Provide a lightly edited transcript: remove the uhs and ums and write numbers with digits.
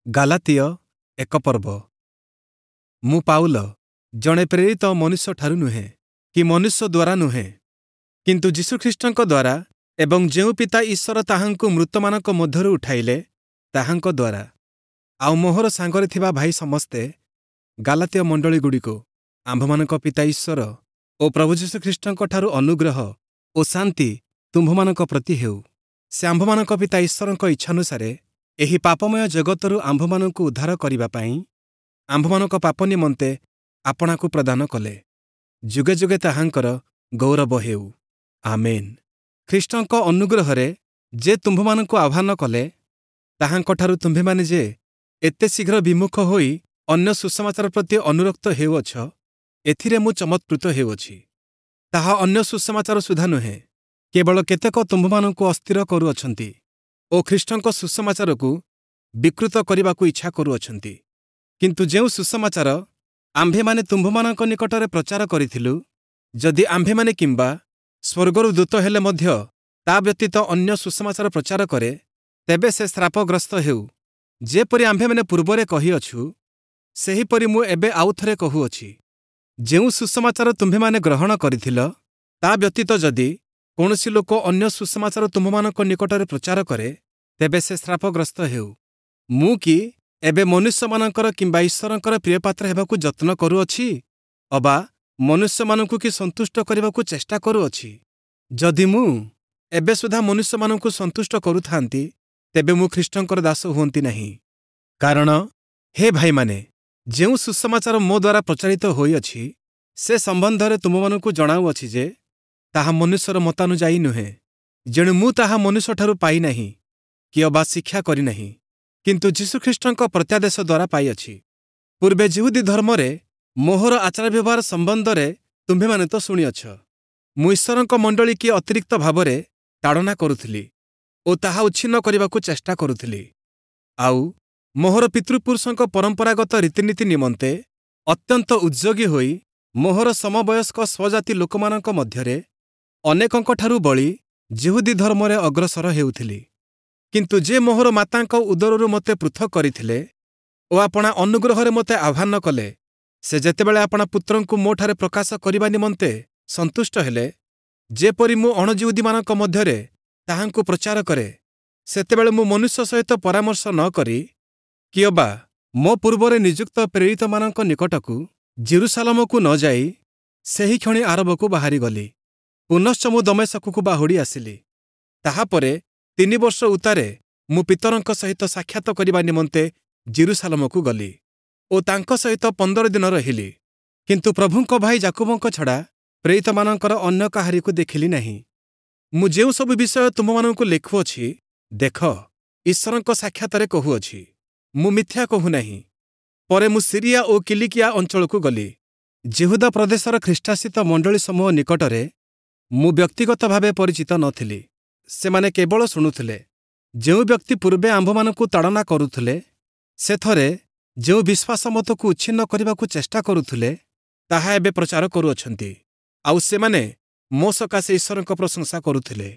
Galatia ଏକ ପର୍ବ। ମୁଁ ପାଉଲ, ଜଣେ ପ୍ରେରିତ ମନୁଷ୍ୟଠାରୁ ନୁହେଁ କି ମନୁଷ୍ୟ ଦ୍ୱାରା ନୁହେଁ, କିନ୍ତୁ ଯୀଶୁଖ୍ରୀଷ୍ଟଙ୍କ ଦ୍ୱାରା ଏବଂ ଯେଉଁ ପିତା ଈଶ୍ୱର ତାହାଙ୍କୁ ମୃତମାନଙ୍କ ମଧ୍ୟରୁ ଉଠାଇଲେ ତାହାଙ୍କ ଦ୍ୱାରା, ଆଉ ମୋହର ସାଙ୍ଗରେ ଥିବା ଭାଇ ସମସ୍ତେ ଗାଲାତୀୟ ମଣ୍ଡଳୀଗୁଡ଼ିକୁ ଆମ୍ଭମାନଙ୍କ ପିତା ଈଶ୍ୱର ଓ ପ୍ରଭୁ ଯୀଶୁଖ୍ରୀଷ୍ଟଙ୍କଠାରୁ ଅନୁଗ୍ରହ ଓ ଶାନ୍ତି ତୁମ୍ଭମାନଙ୍କ ପ୍ରତି ହେଉ। ସେ ଆମ୍ଭମାନଙ୍କ ପିତା ଈଶ୍ୱରଙ୍କ ଇଚ୍ଛାନୁସାରେ ଏହି ପାପମୟ ଜଗତରୁ ଆମ୍ଭମାନଙ୍କୁ ଉଦ୍ଧାର କରିବା ପାଇଁ ଆମ୍ଭମାନଙ୍କ ପାପ ନିମନ୍ତେ ଆପଣାକୁ ପ୍ରଦାନ କଲେ। ଯୁଗେ ଯୁଗେ ତାହାଙ୍କର ଗୌରବ ହେଉ। ଆମେନ୍। ଖ୍ରୀଷ୍ଟଙ୍କ ଅନୁଗ୍ରହରେ ଯେ ତୁମ୍ଭମାନଙ୍କୁ ଆହ୍ୱାନ କଲେ, ତାହାଙ୍କଠାରୁ ତୁମ୍ଭେମାନେ ଯେ ଏତେ ଶୀଘ୍ର ବିମୁଖ ହୋଇ ଅନ୍ୟ ସୁସମାଚାର ପ୍ରତି ଅନୁରକ୍ତ ହେଉଅଛ, ଏଥିରେ ମୁଁ ଚମତ୍କୃତ ହେଉଅଛି। ତାହା ଅନ୍ୟ ସୁସମାଚାର ସୁଦ୍ଧା ନୁହେଁ, କେବଳ କେତେକ ତୁମ୍ଭମାନଙ୍କୁ ଅସ୍ଥିର କରୁଅଛନ୍ତି ଓ ଖ୍ରୀଷ୍ଟଙ୍କ ସୁସମାଚାରକୁ ବିକୃତ କରିବାକୁ ଇଚ୍ଛା କରୁଅଛନ୍ତି। କିନ୍ତୁ ଯେଉଁ ସୁସମାଚାର ଆମ୍ଭେମାନେ ତୁମ୍ଭମାନଙ୍କ ନିକଟରେ ପ୍ରଚାର କରିଥିଲୁ, ଯଦି ଆମ୍ଭେମାନେ କିମ୍ବା ସ୍ୱର୍ଗରୁ ଦୂତ ହେଲେ ମଧ୍ୟ ତା ବ୍ୟତୀତ ଅନ୍ୟ ସୁସମାଚାର ପ୍ରଚାର କରେ, ତେବେ ସେ ଶ୍ରାପଗ୍ରସ୍ତ ହେଉ। ଯେପରି ଆମ୍ଭେମାନେ ପୂର୍ବରେ କହିଅଛୁ, ସେହିପରି ମୁଁ ଏବେ ଆଉଥରେ କହୁଅଛି, ଯେଉଁ ସୁସମାଚାର ତୁମ୍ଭେମାନେ ଗ୍ରହଣ କରିଥିଲ, ତା ବ୍ୟତୀତ ଯଦି କୌଣସି ଲୋକ ଅନ୍ୟ ସୁସମାଚାର ତୁମ୍ଭମାନଙ୍କ ନିକଟରେ ପ୍ରଚାର କରେ, ତେବେ ସେ ଶ୍ରାପଗ୍ରସ୍ତ ହେଉ। ମୁଁ କି ଏବେ ମନୁଷ୍ୟମାନଙ୍କର କିମ୍ବା ଈଶ୍ୱରଙ୍କର ପ୍ରିୟପାତ୍ର ହେବାକୁ ଯତ୍ନ କରୁଅଛି, ଅବା ମନୁଷ୍ୟମାନଙ୍କୁ କି ସନ୍ତୁଷ୍ଟ କରିବାକୁ ଚେଷ୍ଟା କରୁଅଛି? ଯଦି ମୁଁ ଏବେ ସୁଦ୍ଧା ମନୁଷ୍ୟମାନଙ୍କୁ ସନ୍ତୁଷ୍ଟ କରୁଥାନ୍ତି, ତେବେ ମୁଁ ଖ୍ରୀଷ୍ଟଙ୍କର ଦାସ ହୁଅନ୍ତି ନାହିଁ। କାରଣ ହେ ଭାଇମାନେ, ଯେଉଁ ସୁସମାଚାର ମୋ ଦ୍ୱାରା ପ୍ରଚାରିତ ହୋଇଅଛି, ସେ ସମ୍ବନ୍ଧରେ ତୁମମାନଙ୍କୁ ଜଣାଉଅଛି ଯେ ତାହା ମନୁଷ୍ୟର ମତାନୁଯାୟୀ ନୁହେଁ। ଯେଣୁ ମୁଁ ତାହା ମନୁଷ୍ୟଠାରୁ ପାଇନାହିଁ କି ଅବା ଶିକ୍ଷା କରିନାହିଁ, କିନ୍ତୁ ଯୀଶୁଖ୍ରୀଷ୍ଟଙ୍କ ପ୍ରତ୍ୟାଦେଶ ଦ୍ୱାରା ପାଇଅଛି। ପୂର୍ବେ ଯିହୁଦୀ ଧର୍ମରେ ମୋହର ଆଚାର ବ୍ୟବହାର ସମ୍ବନ୍ଧରେ ତୁମ୍ଭେମାନେ ତ ଶୁଣିଅଛ। ମୁଁ ଈଶ୍ୱରଙ୍କ ମଣ୍ଡଳୀ କି ଅତିରିକ୍ତ ଭାବରେ ତାଡ଼ନା କରୁଥିଲି ଓ ତାହା ଉଚ୍ଛିନ୍ନ କରିବାକୁ ଚେଷ୍ଟା କରୁଥିଲି। ଆଉ ମୋହର ପିତୃପୁରୁଷଙ୍କ ପରମ୍ପରାଗତ ରୀତିନୀତି ନିମନ୍ତେ ଅତ୍ୟନ୍ତ ଉଦ୍ଯୋଗୀ ହୋଇ ମୋହର ସମବୟସ୍କ ସ୍ୱଜାତି ଲୋକମାନଙ୍କ ମଧ୍ୟରେ ଅନେକଙ୍କଠାରୁ ବଳି ଯିହୁଦୀ ଧର୍ମରେ ଅଗ୍ରସର ହେଉଥିଲି। କିନ୍ତୁ ଯେ ମୋହର ମାତାଙ୍କ ଉଦରରୁ ମୋତେ ପୃଥକ୍ କରିଥିଲେ ଓ ଆପଣା ଅନୁଗ୍ରହରେ ମୋତେ ଆହ୍ୱାନ କଲେ, ସେ ଯେତେବେଳେ ଆପଣା ପୁତ୍ରଙ୍କୁ ମୋଠାରେ ପ୍ରକାଶ କରିବା ନିମନ୍ତେ ସନ୍ତୁଷ୍ଟ ହେଲେ, ଯେପରି ମୁଁ ଅଣଯିହୁଦୀମାନଙ୍କ ମଧ୍ୟରେ ତାହାଙ୍କୁ ପ୍ରଚାର କରେ, ସେତେବେଳେ ମୁଁ ମନୁଷ୍ୟ ସହିତ ପରାମର୍ଶ ନ କରି କି ଅବା ମୋ ପୂର୍ବରେ ନିଯୁକ୍ତ ପ୍ରେରିତମାନଙ୍କ ନିକଟକୁ ଯିରୂଶାଲମକୁ ନ ଯାଇ ସେହିକ୍ଷଣି ଆରବକୁ ବାହାରିଗଲି। ପୁନଶ୍ଚ ମୁଁ ଦମେଶକକୁ ବାହୁଡ଼ି ଆସିଲି। ତାହାପରେ 3 ବର୍ଷ ଉତ୍ତାରେ ମୁଁ ପିତରଙ୍କ ସହିତ ସାକ୍ଷାତ କରିବା ନିମନ୍ତେ ଯିରୂଶାଲମକୁ ଗଲି ଓ ତାଙ୍କ ସହିତ 15 ଦିନ ରହିଲି। କିନ୍ତୁ ପ୍ରଭୁଙ୍କ ଭାଇ ଯାକୁବଙ୍କ ଛଡ଼ା ପ୍ରେରିତମାନଙ୍କର ଅନ୍ୟ କାହାରିକୁ ଦେଖିଲି ନାହିଁ। ମୁଁ ଯେଉଁ ସବୁ ବିଷୟ ତୁମ୍ଭମାନଙ୍କୁ ଲେଖୁଅଛି, ଦେଖ, ଈଶ୍ୱରଙ୍କ ସାକ୍ଷାତରେ କହୁଅଛି, ମୁଁ ମିଥ୍ୟା କହୁନାହିଁ। ପରେ ମୁଁ ସିରିଆ ଓ କିଲିକିଆ ଅଞ୍ଚଳକୁ ଗଲି। ଯିହୁଦା ପ୍ରଦେଶର ଖ୍ରୀଷ୍ଟାଶ୍ରିତ ମଣ୍ଡଳୀ ସମୂହ ନିକଟରେ ମୁଁ ବ୍ୟକ୍ତିଗତ ଭାବେ ପରିଚିତ ନଥିଲି। ସେମାନେ କେବଳ ଶୁଣୁଥିଲେ, ଯେଉଁ ବ୍ୟକ୍ତି ପୂର୍ବେ ଆମ୍ଭମାନଙ୍କୁ ତାଡ଼ନା କରୁଥିଲେ, ସେଥରେ ଯେଉଁ ବିଶ୍ୱାସ ମତକୁ ଉଚ୍ଛିନ୍ନ କରିବାକୁ ଚେଷ୍ଟା କରୁଥିଲେ, ତାହା ଏବେ ପ୍ରଚାର କରୁଅଛନ୍ତି। ଆଉ ସେମାନେ ମୋ ସକାଶେ ଈଶ୍ୱରଙ୍କ ପ୍ରଶଂସା କରୁଥିଲେ।